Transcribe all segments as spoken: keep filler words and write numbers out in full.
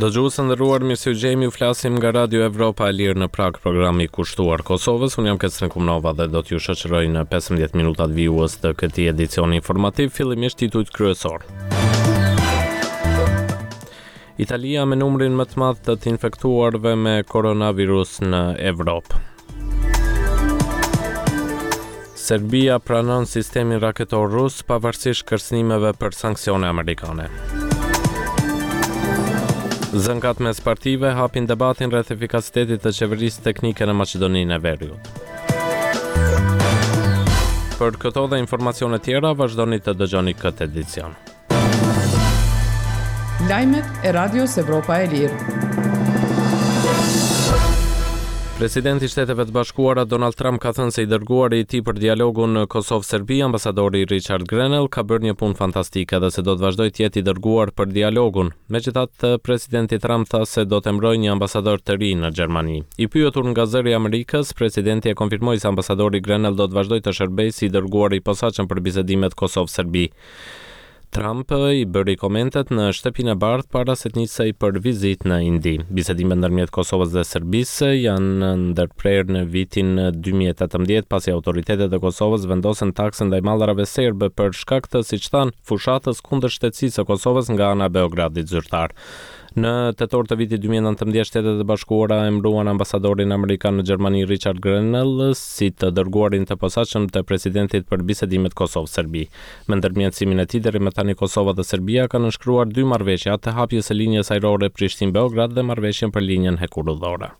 Dëgjues të nderuar, mirë se ju gjejmë, ju flasim nga Radio Evropa e Lirë në Prag, programi kushtuar Kosovës. Unë jam Kecën Kumnova dhe do t'ju shoqëroj në pesëmbëdhjetë minutat vijues të këtij edicioni informativ, fillimisht titujt kryesor. Italia me numrin më të madh të të infektuarve me koronavirus në Evropë. Serbia pranon sistemin raketor rus pavarësisht kërcënimeve për sanksione amerikane. Zënkat mes partive hapin debatin rreth efikasitetit të qeverisë teknike në Maqedoninë e Veriut. Për këto dhe informacione tjera, vazhdoni të dëgjoni këtë edicion. Lajmet e Radios Evropa e Lirë. Presidenti i Shteteve të Bashkuara Donald Trump ka thënë se i dërguari i tij për dialogun në Kosovë-Serbi, ambasadori Richard Grenell, ka bërë një punë fantastike dhe se do të vazhdojë të jetë i dërguar për dialogun. Megjithatë, presidenti Trump tha se do të emërojë një ambasador të ri në Gjermani. I pyetur nga Zëri i Amerikës, presidenti e konfirmoi se ambasadori Grenell do të vazhdojë të shërbejë si i dërguar i posaçëm për bisedimet Kosovë-Serbi. Trump i bëri komentet në Shtëpinë e Bardhë para se të nisej për vizitë në Indi. Bisedimet ndërmjet Kosovës dhe Serbisë janë ndërprerë në vitin dy mijë e tetëmbëdhjetë pasi autoritetet e Kosovës vendosën taksën ndaj mallrave serbe për shkak të, siç thanë, fushatës kundër shtetësisë së Kosovës nga ana e Beogradit zyrtar. Në tetor të vitit dy mijë e nëntëmbëdhjetë, Shtetet e Bashkuara emëruan ambasadorin amerikan në Gjermani Richard Grenell si të dërguarin të posaçëm të presidentit për bisedimet Kosovë-Serbi. Me ndërmjetësimin e tij deri më tani Kosova dhe Serbia kanë nënshkruar dy marrëveshje, atë të hapjes së linjës ajrore Prishtinë-Beograd dhe marrëveshjen për linjën hekurudhore.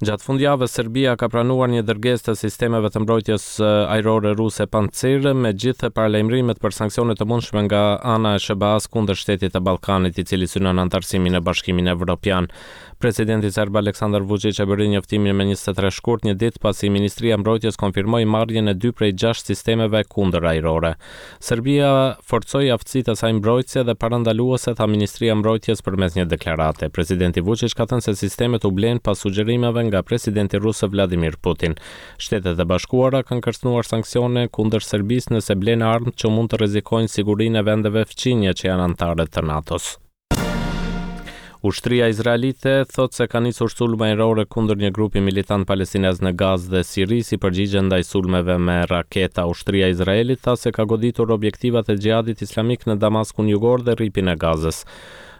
Gjatë fundjavës, Serbia ka pranuar një dërgesë të sistemeve të mbrojtjes ajrore ruse Pantsir, me gjithë paralajmërimet për sanksione të mundshme nga ana e S H B A-s kundër shtetit të Ballkanit, i cili synon anëtarësimin në Bashkimin Evropian. Presidenti serb Aleksandar Vučić e bëri njoftimin me njëzet e tre shkurt, një ditë pasi Ministria e Mbrojtjes konfirmoi marrjen e dy prej gjashtë sistemeve kundër ajrore. Serbia forcoi aftësitë e saj mbrojtëse dhe parandaluese, tha Ministria e Mbrojtjes përmes një deklarate. Presidenti Vučić ka thënë se sistemet u blen pas sugjerimeve nga presidenti rus Vladimir Putin. Shtetet e Bashkuara kanë kërcënuar sanksione kundër Serbisë nëse blen armë që mund të rrezikojnë sigurinë e vendeve fqinje që janë anëtare të NATO-s. Ushtria izraelite thotë se ka nisur sulme ajrore kundër një grupi militant palestinez në Gazë dhe Siri si përgjigje ndaj sulmeve me raketa. Ushtria e Izraelit tha se ka goditur objektivat e xhihadit islamik në Damaskun jugor dhe rripin e Gazës.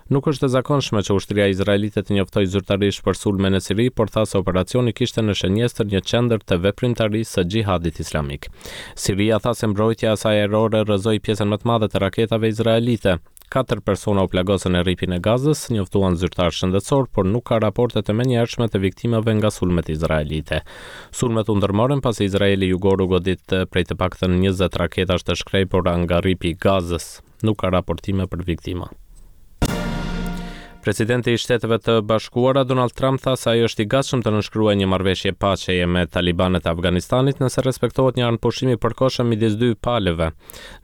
Nuk është e zakonshme që ushtria izraelite të njoftojë zyrtarisht për sulme në Siri, por tha se operacioni kishte në shënjestër një qendër të veprimtarisë së xhihadit islamik. Siria tha se mbrojtja e saj ajrore rrëzoi pjesën më të madhe të raketave izraelite. Katër persona u plagosën në rripin e Gazës, njoftuan zyrtar shëndetësor, por nuk ka raporte të menjëhershme të viktimave nga sulmet izraelite. Sulmet u ndërmorën pasi Izraeli jugor u godit prej të paktën njëzet raketash të shkrepura nga rripi i Gazës. Nuk ka raportime për viktima. Presidenti i Shteteve të Bashkuara Donald Trump tha se ai është i gatshëm të nënshkruajë një marrëveshje paqeje me talibanët e Afganistanit nëse respektohet një armëpushim i përkohshëm midis dy palëve.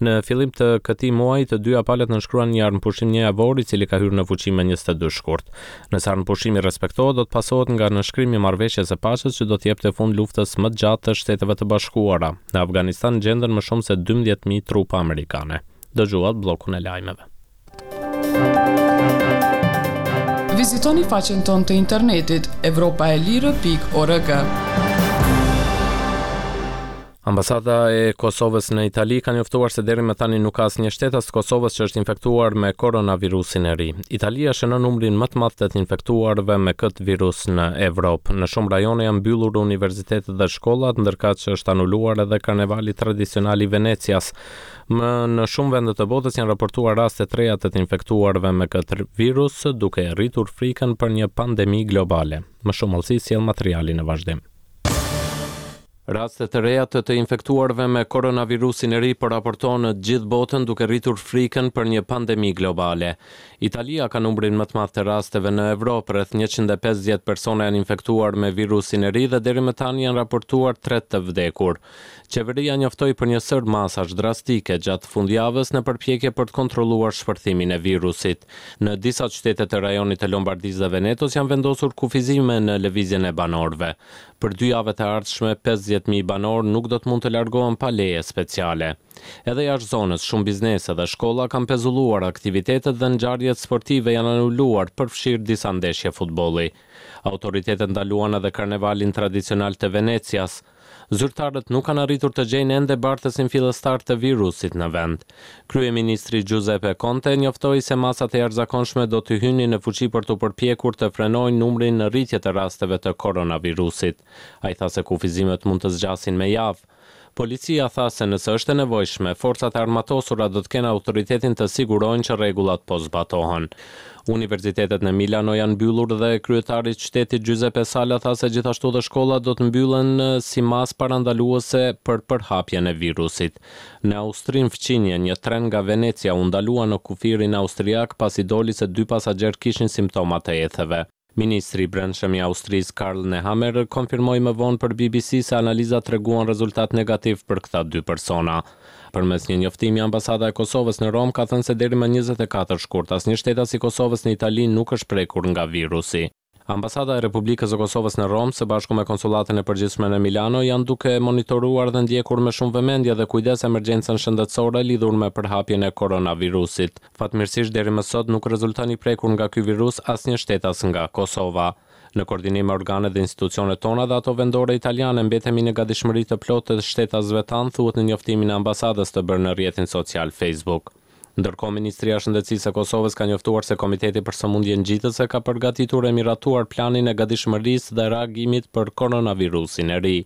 Në fillim të këtij muaji, të dyja palët nënshkruan një armëpushim një javor i cili ka hyrë në fuqi më njëzet e dy shkurt. Nëse armëpushimi respektohet, do të pasohet nga nënshkrimi i marrëveshjes së paqes që do të jepte fund luftës më të gjatë të Shteteve të Bashkuara. Në Afganistan gjenden më shumë se dymbëdhjetë mijë trupa amerikane. Dëgjuat bllokun e lajmeve. Vizitoni faqen tonë të internetit evropa e lirë pikë org. Ambasada e Kosovës në Itali ka njoftuar se deri më tani nuk ka asnjë shtetas të Kosovës që është infektuar me koronavirusin e ri. Italia shënon numrin më të madh të të infektuarve me këtë virus në Evropë. Në shumë rajone janë mbyllur universitetet dhe shkollat, ndërkaq që është anuluar edhe karnevali tradicional i Venecias. Më në shumë vende të botës janë raportuar raste të reja të të infektuarve me këtë virus, duke rritur frikën për një pandemi globale. Më shumë hollësi sjell materiali në vazhdim. Raste të reja të të infektuarve me koronavirusin e ri po raportohen në gjithë botën, duke rritur frikën për një pandemi globale. Italia ka numrin më të madh të rasteve në Evropë, rreth njëqind e pesëdhjetë persona janë infektuar me virusin e ri dhe deri më tani janë raportuar tre të vdekur. Qeveria njoftoi për një sërë masash drastike gjatë fundjavës në përpjekje për të kontrolluar shpërthimin e virusit. Në disa qytete të rajonit të Lombardisë dhe Venetos janë vendosur kufizime në lëvizjen e banorëve. Për dy javët e ardhshme, pesëdhjetë pesëdhjetë mijë banorë nuk do të mund të largohen pa leje speciale. Edhe jashtë zonës, shumë biznese dhe shkolla kanë pezulluar aktivitetet dhe ngjarjet sportive janë anuluar, përfshirë disa ndeshje futbolli. Autoritetet ndaluan edhe karnevalin tradicional të Venecias. Zyrtarët nuk kanë arritur të gjejnë ende bartësin fillestar të virusit në vend. Kryeministri Giuseppe Conte njoftoi se masat e jashtëzakonshme do të hynin në fuqi për të përpjekur të frenojnë numrin në rritje të rasteve të koronavirusit. Ai tha se kufizimet mund të zgjasin me javë. Policia tha se nëse është e nevojshme, forcat e armatosura do të kenë autoritetin të sigurojnë që rregullat po zbatohen. Universitetet në Milano janë mbyllur dhe kryetari i qytetit Giuseppe Sala tha se gjithashtu dhe shkollat do të mbyllen si masë parandaluese për përhapjen e virusit. Në Austrinë fqinje, një tren nga Venecia u ndalua në kufirin austriak pasi doli se dy pasagjerë kishin simptoma të etheve. Ministri i Brendshëm i Austrisë Karl Nehammer konfirmoi më vonë për B B C se analizat treguan rezultat negativ për këta dy persona. Përmes një njoftimi, ambasada e Kosovës në Romë ka thënë se deri më njëzet e katër shkurt asnjë shtetas i Kosovës në Itali nuk është prekur nga virusi. Ambasada e Republikës së Kosovës në Romë, së bashku me konsullatën e përgjithshme në Milano, janë duke monitoruar dhe ndjekur me shumë vëmendje dhe kujdes emergjencën shëndetësore lidhur me përhapjen e koronavirusit. Fatmirësisht, deri më sot nuk rezulton i prekur nga ky virus asnjë shtetas nga Kosova. Në koordinim me organet dhe institucionet tona dhe ato vendore italiane, mbetemi në gatishmëri të plotë të shtetasve tanë, thuhet në njoftimin e ambasadës të bërë në rrjetin social Facebook. Ndërkohë, Ministria e Shëndetësisë e Kosovës ka njoftuar se Komiteti për Sëmundje Ngjitëse ka përgatitur e miratuar planin e gatishmërisë dhe reagimit për koronavirusin e ri.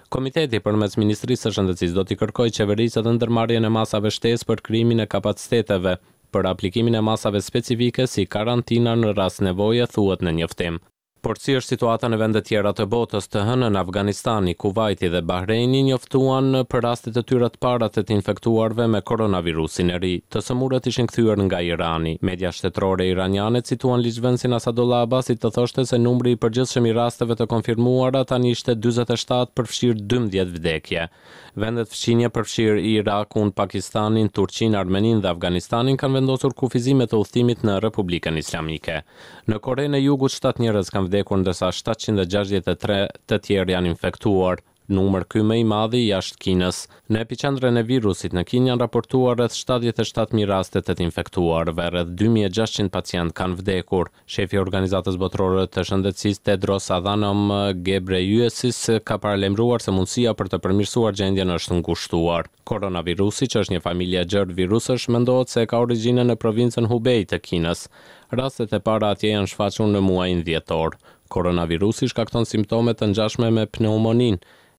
Komiteti përmes Ministrisë së Shëndetësisë do t'i kërkojë qeverisë edhe ndërmarrjen e masave shtesë për krijimin e kapaciteteve për aplikimin e masave specifike si karantina në rast nevoje, thuhet në njoftim. Por si është situata në vendet tjera të botës? Të hënën, Afganistani, Kuwaiti dhe Bahreini njoftuan për rastet e tyre të para të të infektuarve me koronavirusin e ri. Të sëmurët ishin kthyer nga Irani. Media shtetërore iraniane cituan ligjvënësin Asadullah Abbasi të thoshte se numri i përgjithshëm i rasteve të konfirmuara tani ishte dyzet e shtatë, përfshirë dymbëdhjetë vdekje. Vendet fqinje, përfshirë Irakun, Pakistanin, Turqinë, Armeninë dhe Afganistanin, kanë vendosur kufizime të udhëtimit në Republikën Islamike. Në Korenë e Jugut shtatë njerëz kanë vdekur, ndërsa shtatëqind e gjashtëdhjetë e tre të tjerë janë infektuar, numër ky më i madhi jashtë Kinës. Në epiqendrën e virusit në Kinë janë raportuar rreth shtatëdhjetë e shtatë mijë raste të të infektuarve, rreth dy mijë e gjashtëqind pacient kanë vdekur. Shefi i Organizatës Botërore të Shëndetësisë Tedros Adhanom Ghebreyesus ka paralajmëruar se mundësia për të përmirësuar gjendjen është ngushtuar. Koronavirusi, që është një familje e gjerë virusësh, mendohet se ka origjinën në provincën Hubei të Kinës. Rastet e para atje janë shfaqur në muajin dhjetor. Koronavirusi shkakton simptome të ngjashme me pneumoninë.